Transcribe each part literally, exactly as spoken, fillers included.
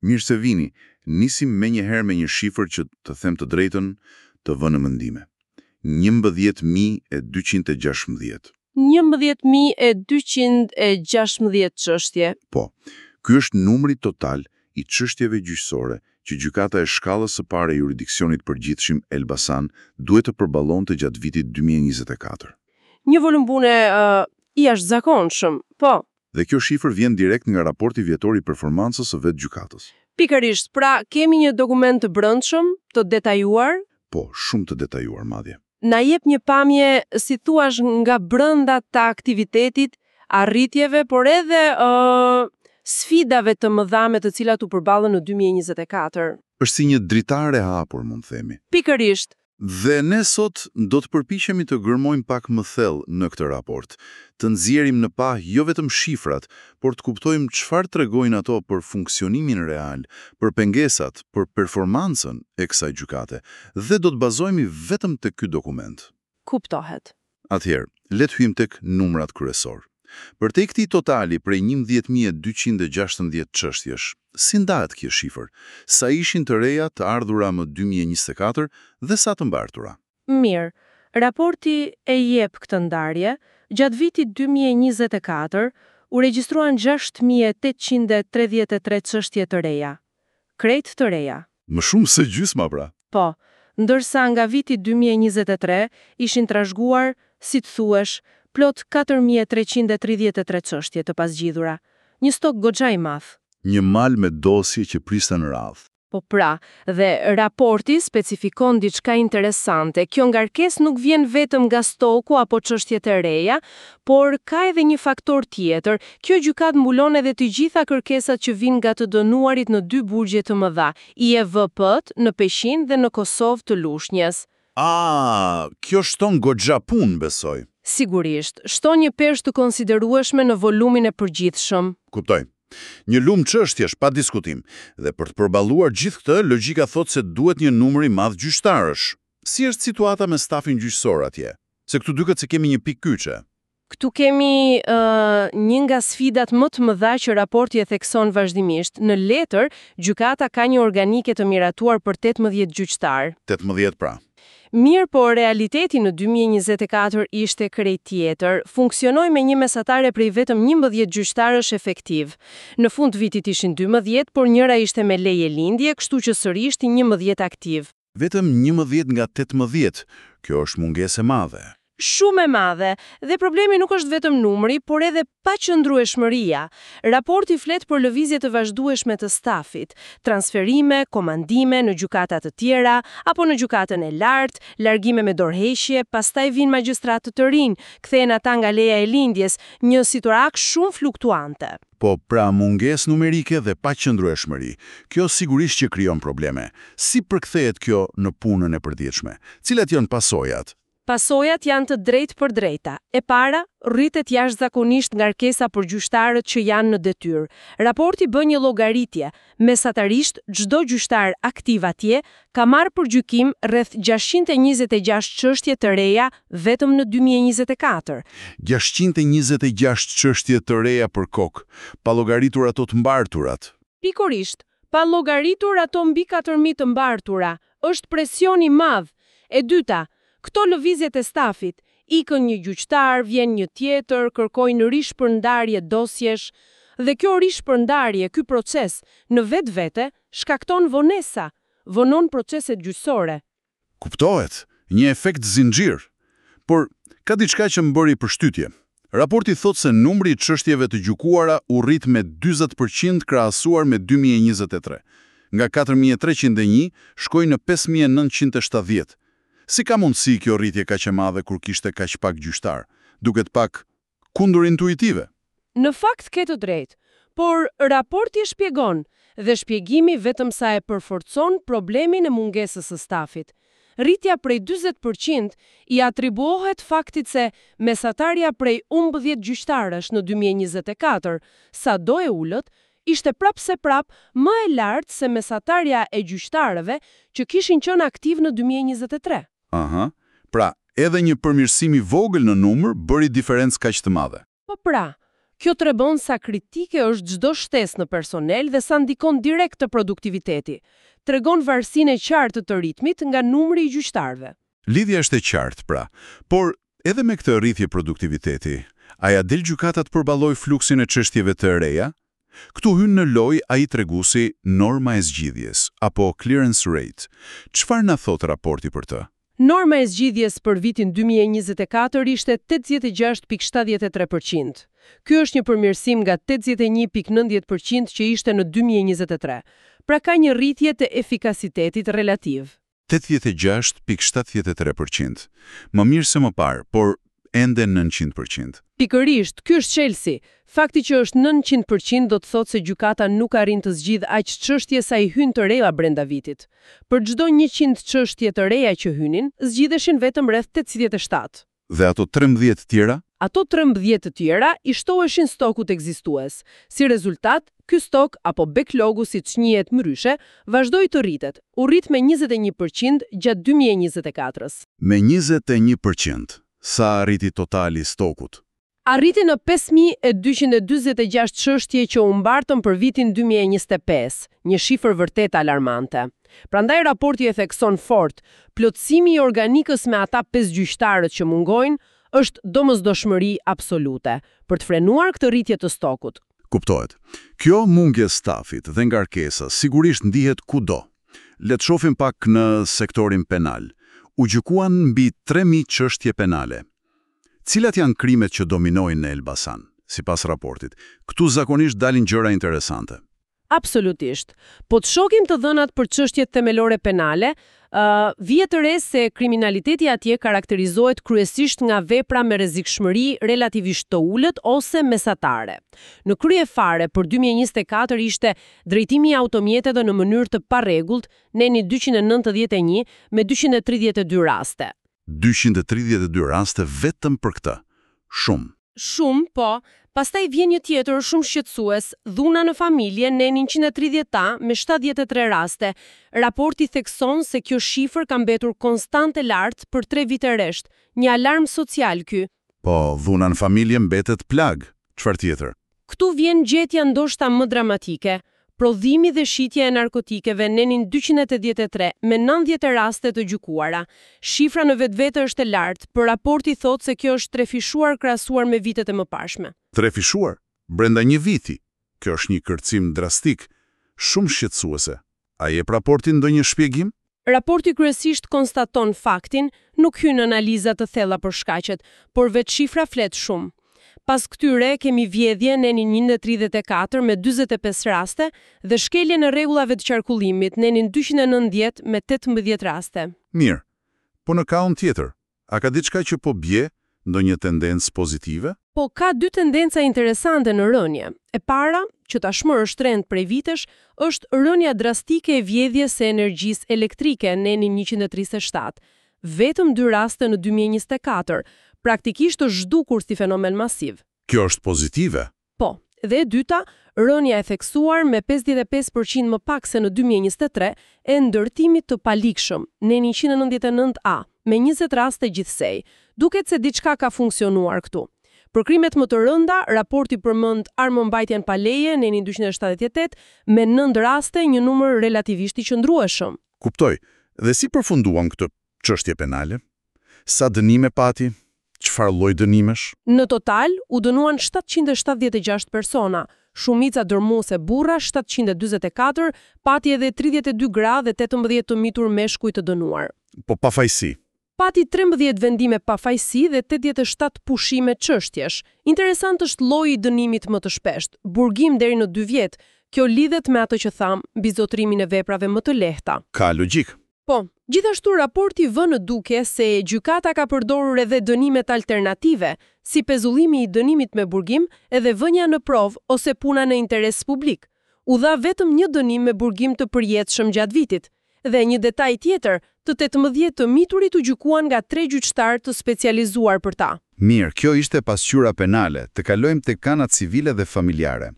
Mirë se vini. Nisim menjëherë me një shifër që, të them të drejtën, të vë në mendime. njëmbëdhjetë mijë e dyqind e gjashtëmbëdhjetë. njëmbëdhjetë mijë e dyqind e gjashtëmbëdhjetë çështje. Po, ky është numri total i çështjeve gjyqësore që Gjykata e Shkallës së Parë e Juridiksionit Përgjithshëm Elbasan duhet të përballonte gjatë vitit dy mijë e njëzet e katër. Një volum pune uh, i jashtëzakonshëm, po. Dhe kjo shifër vjen direkt nga raporti vjetor i performancës së vetë gjykatës. Pikërisht, pra kemi një dokument të brendshëm, të detajuar, Po, shumë të detajuar madje. Na jep një pamje, si thuash, nga brenda të aktivitetit, arritjeve, por edhe uh, sfidave të mëdha me të cilat u përballën në dy mijë e njëzet e katër. Është si një dritare e hapur, mund themi. Pikërisht. Dhe ne sot do të përpiqemi të gërmojmë pak më thellë në këtë raport, të nxjerrim në pah jo vetëm shifrat, por të kuptojmë çfarë tregojnë ato për funksionimin real, për pengesat, për performancën e kësaj gjykate, dhe do të bazohemi vetëm te ky dokument. Kuptohet. Atëherë, le të hyjmë tek numrat kryesor. Për te këtij totali prej njëmbëdhjetë mijë e dyqind e gjashtëmbëdhjetë çështjesh, si ndahet kjo shifër? Sa ishin të reja, të ardhura më dy mijë e njëzet e katër dhe sa të mbartura? Mirë, raporti e jep këtë ndarje. Gjatë vitit dy mijë e njëzet e katër u regjistruan gjashtë mijë e tetëqind e tridhjetë e tre çështje të reja. Krejt të reja. Më shumë se gjysma, pra. Po, ndërsa nga viti dy mijë e njëzet e tre ishin trashëguar, si të thuash, plot katër mijë e treqind e tridhjetë e tre çështje të pazgjidhura. Një stok goxha i madh. Një mal me dosje që priste në radhë. Po pra, dhe raporti specifikon diçka interesante. Kjo ngarkesë nuk vjen vetëm nga stoku apo çështjet e reja, por ka edhe një faktor tjetër. Kjo gjykatë mbulon edhe të gjitha kërkesat që vinë nga të dënuarit në dy burgje të mëdha, I E V P-t në Peqin dhe në Kosovë të Lushnjes. Ah, kjo shton goxha punë, besoj. Sigurisht, shton një peshë të konsiderueshme në volumin e përgjithshëm. Kuptoj. Një lum çështjesh pa diskutim, dhe për të përballuar gjithë këtë, logjika thotë se duhet një numër i madh gjyqtarësh. Si është situata me stafin gjyqësor atje? Se këtu duket se kemi një pikë kyçe. Këtu kemi uh, një nga sfidat më të mëdha që raporti e thekson vazhdimisht. Në letër, gjykata ka një organike të miratuar për tetëmbëdhjetë gjyqtar. tetëmbëdhjetë pra. Mirë, por realiteti në dy mijë e njëzet e katër ishte krejt tjetër. Funksionoi me një mesatare prej vetëm njëmbëdhjetë gjyqtarësh efektiv. Në fund të vitit ishin dymbëdhjetë, por njëra ishte me leje lindje, kështu që sërish njëmbëdhjetë aktiv. Vetëm njëmbëdhjetë nga tetëmbëdhjetë. Kjo është mungesë e madhe. Shumë e madhe, dhe problemi nuk është vetëm numri, por edhe paqëndrueshmëria. Raporti flet për lëvizje të vazhdueshme të stafit, transferime, komandime në gjykata të tjera, apo në gjykatën e lartë, largime me dorëheqje, pastaj vinë magjistratë të rinj, kthehen ata nga leja e lindjes, një situatë shumë fluktuante. Po pra, mungesë numerike dhe paqëndrueshmëri. Kjo sigurisht që krijon probleme. Si përkthehet kjo në punën e përditshme? Cilat janë pasojat? Pasojat janë të drejtpërdrejta. E para, rritet jashtëzakonisht ngarkesa për gjyqtarët që janë në detyrë. Raporti bën një llogaritje. Mesatarisht, çdo gjyqtar aktiv atje ka marrë për gjykim rreth gjashtëqind e njëzet e gjashtë çështje të reja vetëm në dy mijë e njëzet e katër. gjashtëqind e njëzet e gjashtë çështje të reja për kokë, pa llogaritur ato të mbarturat. Pikërisht, pa llogaritur ato mbi katër mijë të mbartura, është presion i madh. E dyta, këto lëvizjet e stafit, ikën një gjyqtar, vjen një tjetër, kërkojnë rishpërndarje dosjesh, dhe kjo rishpërndarje, ky proces, në vetvete, shkakton vonesa, vonon proceset gjyqësore. Kuptohet, një efekt zinxhir. Por ka diçka që më bëri përshtypje. Raporti thotë se numri i çështjeve të gjykuara u rrit me dyzet për qind krahasuar me dy mijë e njëzet e tre. Nga katër mijë e treqind e një shkoi në pesë mijë e nëntëqind e shtatëdhjetë. Si ka mundësi kjo rritje kaq e madhe kur kishte kaq pak gjyqtar? Duket pak kundërintuitive. Në fakt ke të drejtë, por raporti e shpjegon, dhe shpjegimi vetëm sa e përforcon problemin e mungesës së stafit. Rritja prej dyzet për qind i atribuohet faktit se mesatarja prej njëmbëdhjetë gjyqtarësh në dy mijë e njëzet e katër, sa do e ulët, ishte prapë se prapë më e lartë se mesatarja e gjyqtarëve që kishin qenë aktiv në dy mijë e njëzet e tre. Aha. Pra, edhe një përmirësim i vogël në numër bëri diferencë kaq të madhe. Po pra, Kjo tregon sa kritike është çdo shtesë në personel dhe sa ndikon direkt të produktiviteti. Tregon varësinë e qartë të ritmit nga numri i gjyqtarëve. Lidhja është e qartë, pra. Por, edhe me këtë rritje produktiviteti, a ja del gjykata të përballojë fluksin e çështjeve të reja? Këtu hyn në lojë ai treguesi norma e zgjidhjes, apo clearance rate. Çfarë na thot raporti për të? Norma e zgjidhjes për vitin dy mijë e njëzet e katër ishte tetëdhjetë e gjashtë pikë shtatëdhjetë e tre përqind. Ky është një përmirësim nga tetëdhjetë e një pikë nëntëdhjetë përqind që ishte në dy mijë e njëzet e tre. Pra ka një rritje të efikasitetit relativ. tetëdhjetë e gjashtë pikë shtatëdhjetë e tre përqind. Më mirë se më parë, por ende nëntëqind përqind. Pikërisht, ky është çelësi. Fakti që është nëntëqind përqind do të thotë se gjykata nuk arrin të zgjidhë aq çështje sa i hyn të reja brenda vitit. Për çdo njëqind çështje të reja që hynin, zgjidheshin vetëm rreth tetëdhjetë e shtatë. Dhe ato trembëdhjetë të tjera? Ato trembëdhjetë të tjera i shtoheshin stokut ekzistues. Si rezultat, ky stok apo backlogu siç njihet ndryshe, vazhdoi të rritet, u rrit me njëzet e një përqind gjatë dy mijë e njëzet e katrës. Me njëzet e një përqind, sa arriti totali i stokut? Arriti në pesë mijë e dyqind e dyzet e gjashtë çështje që u mbartën për vitin dy mijë e njëzet e pesë, një shifër vërtet alarmante. Prandaj raporti e thekson fort, plotësimi i organikës me ata pesë gjyqtarët që mungojnë është domosdoshmëri absolute për të frenuar këtë rritje të stokut. Kuptohet. Kjo mungesë stafit dhe ngarkesa sigurisht ndihet kudo. Le të shohim pak në sektorin penal. U gjykuan mbi tre mijë çështje penale. Cilat janë krimet që dominojnë në Elbasan, sipas raportit? Këtu zakonisht dalin gjëra interesante. Absolutisht. Po të shohim të dhënat për çështjet themelore penale, ë, vihet re se kriminaliteti atje karakterizohet kryesisht nga vepra me rrezikshmëri relativisht të ulët ose mesatare. Në krye fare për dy mijë e njëzet e katër ishte drejtimi i automjeteve në mënyrë të parregullt, neni dyqind e nëntëdhjetë e një me dyqind e tridhjetë e dy raste. dyqind e tridhjetë e dy raste vetëm për këtë. Shumë. Shumë, po. Pastaj vjen një tjetër shumë shqetësues, dhuna në familje, neni njëqind e tridhjetë A me shtatëdhjetë e tre raste. Raporti thekson se kjo shifër ka mbetur konstante lart për tre vite rresht, një alarm social ky. Po, dhuna në familje mbetet plag. Çfarë tjetër? Këtu vjen gjetja ndoshta më dramatike. Prodhimi dhe shitja e narkotikeve nenin dyqind e tetëdhjetë e tre me nëntëdhjetë raste të gjykuara. Shifra në vetvete është e lartë, por raporti thotë se kjo është trefishuar krahasuar me vitet e mëparshme. Trefishuar brenda një viti. Kjo është një kërcim drastik, shumë shqetësuese. A jep raporti ndonjë shpjegim? Raporti kryesisht konstaton faktin, nuk hyn në analiza të thella për shkaqet, por vetë shifra flet shumë. Pas këtyre kemi vjedhje nenin njëqind e tridhjetë e katër me dyzet e pesë raste dhe shkelje në rregullave të qarkullimit nenin dyqind e nëntëdhjetë me tetëmbëdhjetë raste. Mirë, po në kahun tjetër, a ka diçka që po bje, ndonjë tendencë pozitive? Po ka dy tendenca interesante në rënje. E para, që tashmë është trend prej vitesh, është rënja drastike e vjedhjes së energjisë elektrike nenin njëqind e tridhjetë e shtatë. Vetëm dy raste në dy mijë e njëzet e katër, praktikisht është zhdukur si fenomen masiv. Kjo është pozitive. Po, dhe e dyta, rënja e theksuar me pesëdhjetë e pesë përqind më pak se në dy mijë e njëzet e tre e ndërtimit të palikshëm, neni njëqind e nëntëdhjetë e nëntë A, me njëzet raste gjithsej. Duket se diçka ka funksionuar këtu. Për krimet më të rënda, raporti përmend armëmbajtjen pa leje, neni dyqind e shtatëdhjetë e tetë, me nëntë raste, një numër relativisht i qëndrueshëm. Kuptoj. Dhe si përfunduan këtë çështje penale? Sa dënime pati? Çfarë lloj dënimesh? Në total u dënuan shtatëqind e shtatëdhjetë e gjashtë persona, shumica dërmuese burra shtatëqind e dyzet e katër, pati edhe tridhjetë e dy gra dhe tetëmbëdhjetë të mitur meshkuj të dënuar. Po pafajsi. Pati trembëdhjetë vendime pafajsi dhe tetëdhjetë e shtatë pushime çështjesh. Interesant është lloji i dënimit më të shpesht, burgim deri në dy vjet. Kjo lidhet me atë që tham, mbi zotrimin e veprave më të lehta. Ka logjik. Po, gjithashtu raporti vë në duke se gjykata ka përdorur edhe dënimet alternative, si pezullimi i dënimit me burgim edhe vënia në provë ose puna në interes publik. U dha vetëm një dënim me burgim të përjetshëm gjatë vitit. Dhe një detaj tjetër, të tetëmbëdhjetë të miturit u gjykuan nga tre gjyqtarë të specializuar për ta. Mirë, kjo ishte pasqyra penale, të kalojmë tek kanat civile dhe familjare.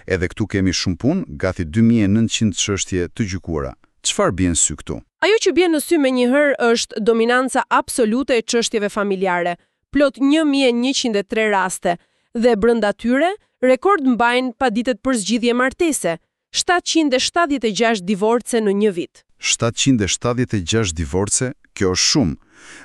Edhe këtu kemi shumë punë, gati dy mijë e nëntëqind çështje të gjykuara. Çfarë bie në sy këtu? Ajo që bie në sy menjëherë është dominanca absolute e çështjeve familjare, plot një mijë e njëqind e tre raste, Dhe brenda tyre, rekord mbajnë paditet për zgjidhje martese, shtatëqind e shtatëdhjetë e gjashtë divorce në një vit. shtatëqind e shtatëdhjetë e gjashtë divorce, kjo është shumë.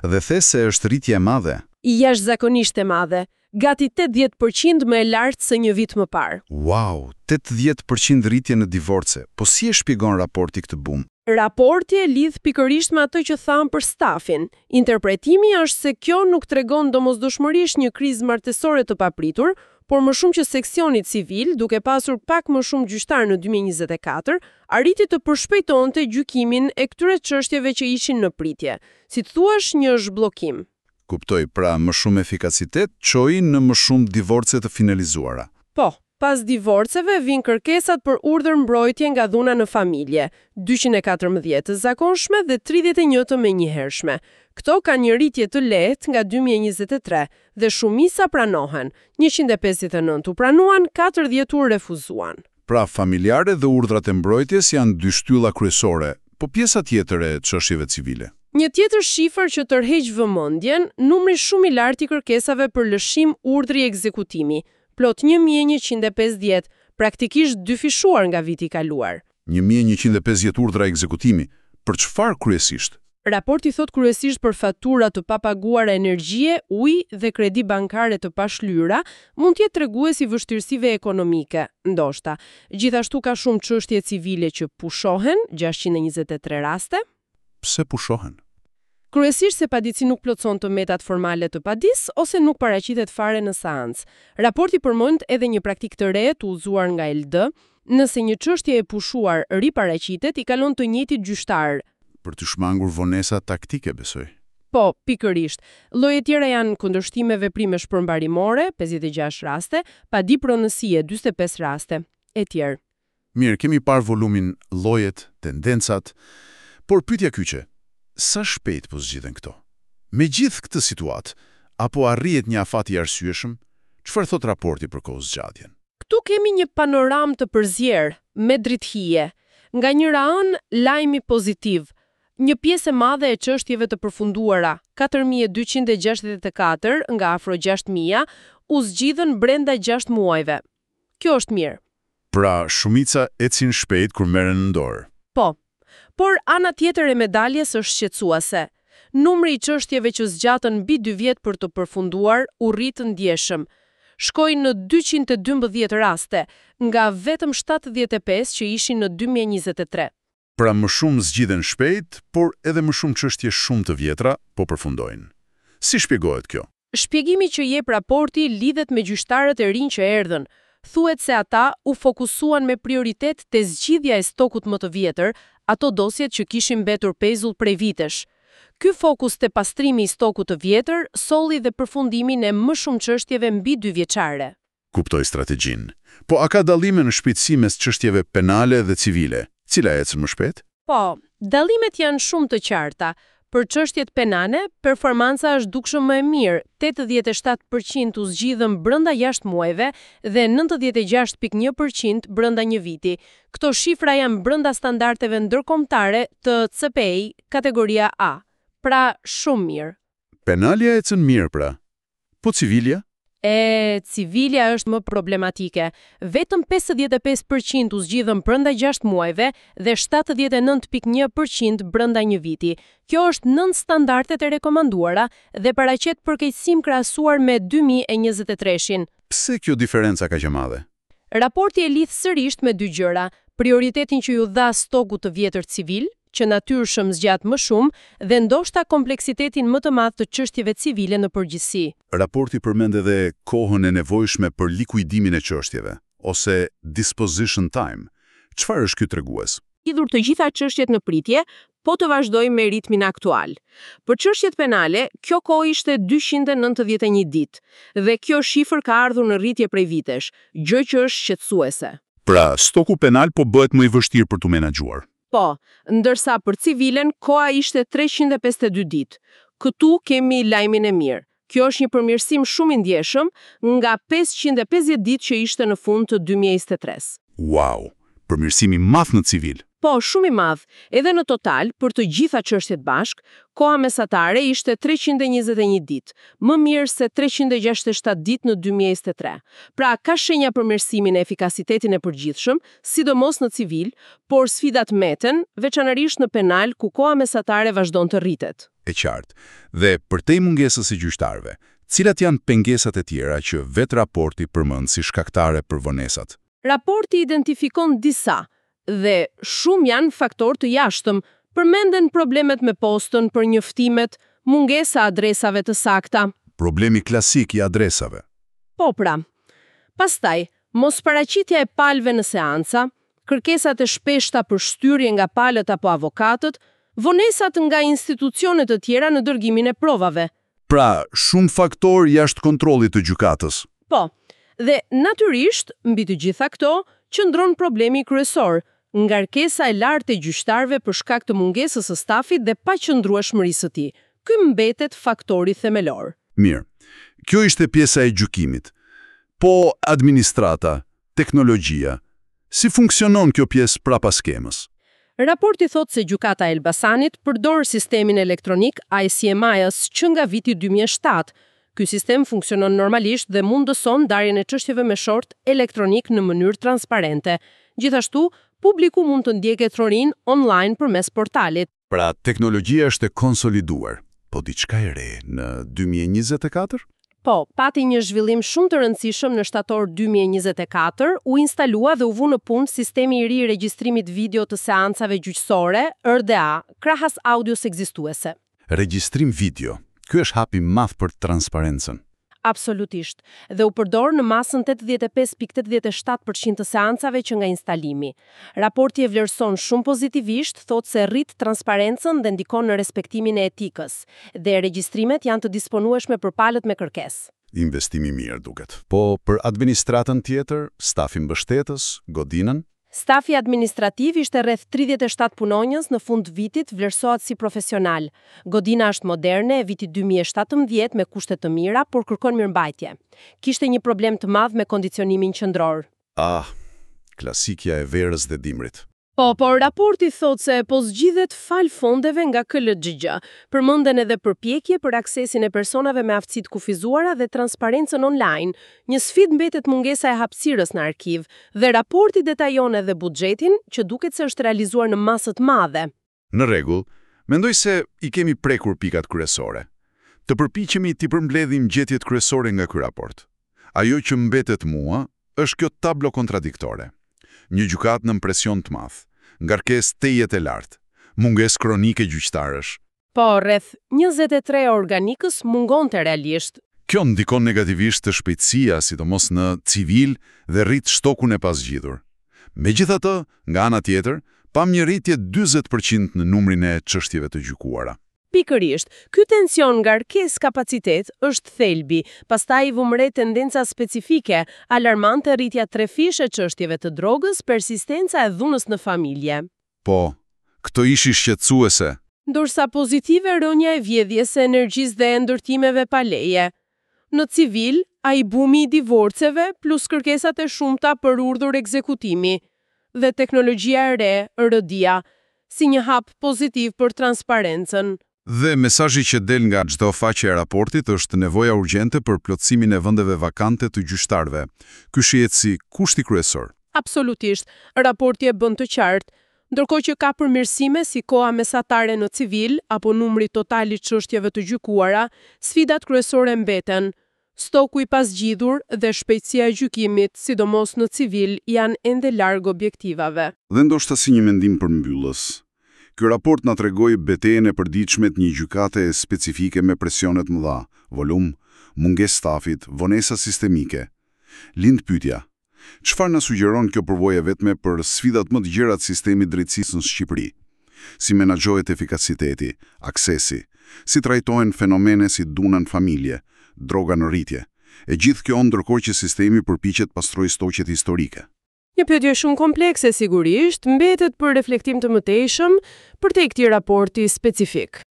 Dhe the se është rritje e madhe. Jashtëzakonisht e madhe, gati tetëdhjetë për qind më e lartë se një vit më parë. Wow, tetëdhjetë për qind rritje në divorce. Po si e shpjegon raporti këtë bum? Raporti e lidh pikërisht me atë që thamë për stafin. Interpretimi është se kjo nuk tregon domosdoshmërisht një krizë martesore të papritur, por më shumë që seksioni civil, duke pasur pak më shumë gjyqtar në dy mijë e njëzet e katër, arriti të përshpejtonte gjykimin e këtyre çështjeve që ishin në pritje. Si të thuash, një zhbllokim. Kuptoj, pra më shumë efikasitet çoi në më shumë divorce të finalizuara. Po, pas divorceve vijnë kërkesat për urdhër mbrojtje nga dhuna në familje, dyqind e katërmbëdhjetë të zakonshme dhe tridhjetë e një të menjëhershme. Këto kanë një rritje të lehtë nga dy mijë e njëzet e tre dhe shumica pranohen. njëqind e pesëdhjetë e nëntë u pranuan, katërdhjetë u refuzuan. Pra familjare dhe urdhrat e mbrojtjes janë dy shtylla kryesore, po pjesa tjetër e çështjeve civile? Një tjetër shifër që tërheq vëmendjen, numri shumë i lartë i kërkesave për lëshim urdhri ekzekutimi, plot një mijë e njëqind e pesëdhjetë, praktikisht dyfishuar nga viti i kaluar. një mijë e njëqind e pesëdhjetë urdhra ekzekutimi, për çfarë kryesisht? Raporti thot kryesisht për fatura të papaguara energjie, ujë dhe kredi bankare të pashlyra, mund të jetë tregues i vështirësive ekonomike, ndoshta. Gjithashtu ka shumë çështje civile që pushohen, gjashtëqind e njëzet e tre raste. Pse pushohen? Kryesisht se paditësi nuk plotëson të metat formale të padisë ose nuk paraqitet fare në seancë. Raporti përmend edhe një praktikë të re të udhëzuar nga E L D, nëse një çështje e pushuar riparaqitet, i kalon të njëjtit gjyqtar. Për të shmangur vonesa taktike, besoj. Po, pikërisht. Lloje tjera janë kundërshtime veprimesh përmbarimore, pesëdhjetë e gjashtë raste, padi pronësie, dyzet e pesë raste, e tjerë. Mirë, kemi parë volumin, llojet, tendencat, por pyetja kyçe, sa shpejt po zgjidhen këto? Me gjithë këtë situatë, apo arrihet një afat i arsyeshëm? Çfarë thot raporti për kohë zgjatjen? Këtu kemi një panoramë të përzier, me dritëhije. Nga njëra anë, lajmi pozitiv. Një pjesë e madhe e çështjeve të përfunduara, katër mijë e dyqind e gjashtëdhjetë e katër nga afro gjashtë mijë, u zgjidhën brenda gjashtë muajve. Kjo është mirë. Pra, shumica ecin shpejt kur merren në dorë. Po, por ana tjetër e medaljes është shqetësuese. Numri i çështjeve që zgjatën mbi dy vjet për të përfunduar u rrit ndjeshëm. Shkoi në dyqind e dymbëdhjetë raste, nga vetëm shtatëdhjetë e pesë që ishin në dy mijë e njëzet e tre. Pra më shumë zgjidhen shpejt, por edhe më shumë çështje shumë të vjetra po përfundojnë. Si shpjegohet kjo? Shpjegimi që jep raporti lidhet me gjyqtarët e rinj që erdhën. Thuhet se ata u fokusuan me prioritet te zgjidhja e stokut më të vjetër, ato dosjet që kishin mbetur pezull prej vitesh. Ky fokus te pastrimi i stokut të vjetër solli dhe përfundimin e më shumë çështjeve mbi dy vjeçare. Kuptoj strategjinë. Po a ka dallime në shpejtësi mes çështjeve penale dhe civile? Cila ecën më shpejt? Po, dallimet janë shumë të qarta. Për çështjet penale, performanca është dukshëm më e mirë, tetëdhjetë e shtatë për qind u zgjidhën brenda gjashtë muajve dhe nëntëdhjetë e gjashtë pikë një për qind brenda një viti. Këto shifra janë brenda standardeve ndërkombëtare të C P I, kategoria A. Pra, shumë mirë. Penalja ecën mirë pra. Po civilja? E, civilja është më problematike. Vetëm pesëdhjetë e pesë për qind u zgjidhën brenda gjashtë muajve dhe shtatëdhjetë e nëntë pikë një për qind brenda një viti. Kjo është nën standardet e rekomanduara dhe paraqet përkeqësim krahasuar me dy mijë e njëzet e treshin. Pse kjo diferenca kaq e madhe? Raporti e lidh sërisht me dy gjëra: prioritetin që ju dha stokut të vjetër civil, që natyrshëm zgjat më shumë, dhe ndoshta kompleksitetin më të madh të çështjeve civile në përgjithësi. Raporti përmend edhe kohën e nevojshme për likuidimin e çështjeve, ose disposition time. Çfarë është ky tregues? Lidhur të gjitha çështjet në pritje, po të vazhdojmë me ritmin aktual. Për çështjet penale, kjo kohë ishte dyqind e nëntëdhjetë e një ditë dhe kjo shifër ka ardhur në rritje prej vitesh, gjë që është shqetësuese. Pra, stoku penal po bëhet më i vështirë për t'u menaxhuar. Po, ndërsa për civilen koha ishte treqind e pesëdhjetë e dy ditë. Këtu kemi lajmin e mirë. Kjo është një përmirësim shumë i ndjeshëm nga pesëqind e pesëdhjetë ditë që ishte në fund të dy mijë e njëzet e tre. Wow, përmirësim i madh në civil. Po, shumë i madh. Edhe në total, për të gjitha çështjet bashk, koha mesatare ishte treqind e njëzet e një ditë, më mirë se treqind e gjashtëdhjetë e shtatë ditë në dy mijë e njëzet e tre. Pra, ka shenja përmirësimin e efikasitetin e përgjithshëm, sidomos në civil, por sfidat mbeten, veçanërisht në penal ku koha mesatare vazhdon të rritet. E qartë. Dhe përtej mungesës së gjyqtarëve, cilat janë pengesat e tjera që vetë raporti përmend si shkaktare për vonesat? Raporti identifikon disa, dhe shumë janë faktorë të jashtëm. Përmenden problemet me postën për njoftimet, mungesa adresave të sakta. Problemi klasik i adresave. Po pra. Pastaj, mosparaqitja e palëve në seanca, kërkesat e shpeshta për shtyrje nga palët apo avokatët, vonesat nga institucione të tjera në dërgimin e provave. Pra, shumë faktor jashtë kontrollit të gjykatës. Po, dhe natyrisht, mbi të gjitha këto, qëndron problemi kryesor, ngarkesa e lartë e gjyqtarëve për shkak të mungesës së stafit dhe paqëndrueshmërisë së tij. Ky mbetet faktori themelor. Mirë. Kjo ishte pjesa e gjykimit. Po administrata, teknologjia, si funksionon kjo pjesë prapa skemës? Raporti thotë se gjykata e Elbasanit përdor sistemin elektronik I C M I S që nga viti dy mijë e shtatë. Ky sistem funksionon normalisht dhe mundëson ndarjen e çështjeve me short elektronik në mënyrë transparente. Gjithashtu, publiku mund të ndjekë trorin online përmes portalit. Pra, teknologjia është e konsoliduar, po diçka e re në dy mijë e njëzet e katër? Po, pati një zhvillim shumë të rëndësishëm në shtator dy mijë e njëzet e katër, u instalua dhe u vu në punë sistemi i ri i regjistrimit video të seancave gjyqësore, R D A, krahas audios ekzistuese. Regjistrim video. Ky është hapi i madh për transparencën. Absolutisht. Dhe u përdor në masën tetëdhjetë e pesë pikë tetëdhjetë e shtatë përqind të seancave që nga instalimi. Raporti e vlerëson shumë pozitivisht, thotë se rrit transparencën dhe ndikon në respektimin e etikës, dhe regjistrimet janë të disponueshme për palët me kërkesë. Investimi mirë duket. Po për administratën tjetër, stafin mbështetës, godinën? Stafi administrativ ishte rreth tridhjetë e shtatë punonjës në fund vitit, vlerësohet si profesional. Godina është moderne e vitit dy mijë e shtatëmbëdhjetë me kushte të mira, por kërkon mirëmbajtje. Kishte një problem të madh me kondicionimin qendror. Ah, klasikja e verës dhe dimrit. Po, por raporti thotë se po zgjidhet fal fondeve nga K L G G. Përmenden edhe përpjekje për aksesin e personave me aftësi të kufizuara dhe transparencën online. Një sfidë mbetet mungesa e hapësirës në arkiv dhe raporti detajon edhe buxhetin, që duket se është realizuar në masë të madhe. Në rregull, mendoj se i kemi prekur pikat kryesore. Të përpiqemi t'i përmbledhim gjetjet kryesore nga ky raport. Ajo që mbetet mua është kjo tablo kontradiktore. Një gjykatë nën presion të madh, ngarkesë tejet e lartë, mungesë kronike gjyqtarësh. Po, rreth njëzet e tre organikës mungonte realisht. Kjo ndikon negativisht të shpejtësia, sidomos në civil dhe rrit shtokun e pasgjidhur. Megjithatë, nga ana tjetër, pam një rritje dyzet përqind në numrin e çështjeve të gjykuara. Pikërisht, ky tension ngarkesë kapacitet është thelbi, pastaj vëmë re tendenca specifike, alarmante rritja trefish e çështjeve të drogës, persistenca e dhunës në familje. Po, këto ishin shqetësuese. Ndërsa pozitive rënia e vjedhjes së energjisë dhe e ndërtimeve pa leje. Në civil, ai bumi i divorceve plus kërkesat e shumta për urdhër ekzekutimi dhe teknologjia e re, R D A, si një hap pozitiv për transparencën. Dhe mesazhi që del nga çdo faqe e raportit është nevoja urgjente për plotësimin e vendeve vakante të gjyqtarëve. Ky shihet si kushti kryesor. Absolutisht, raporti e bën të qartë. Ndërkohë që ka përmirësime si koha mesatare në civil apo numri total i çështjeve të gjykuara, sfidat kryesore mbeten. Stoku i pasgjidhur dhe shpejtësia e gjykimit, sidomos në civil, janë ende larg objektivave. Dhe ndoshta si një mendim përmbyllës. Ky raport na tregoi betejën e përditshme të një gjykate specifike me presione të mëdha, volum, mungesë stafit, vonesa sistemike. Lind pyetja, çfarë na sugjeron kjo përvojë e vetme për sfidat më të gjera të sistemit drejtësisë në Shqipëri? Si menaxhohet efikasiteti, aksesi, si trajtohen fenomene si dhuna në familje, droga në rritje. E gjithë kjo ndërkohë që sistemi përpiqet pastrojë stoqet historike. Një pyetje shumë komplekse sigurisht, mbetet për reflektim të mëtejshëm për te këtij raporti specifik.